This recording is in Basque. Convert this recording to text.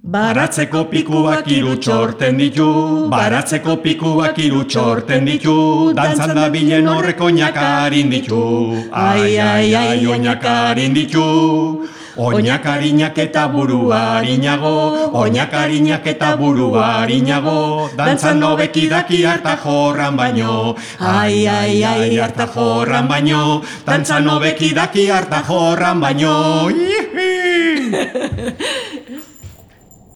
Baratzeko pikuak hiru txorten ditu, baratzeko pikuak hiru txorten ditu, dantzan da bilen horrek oinakarin ditu, ai, ai, ai, oinakarin ditu. Oinakarinak eta buruarinago, oinakarinak eta buruarinago, dantzan hobeki daki harta jorran baino, ai, ai, ai, harta jorran baino, dantzan hobeki daki harta jorran baino.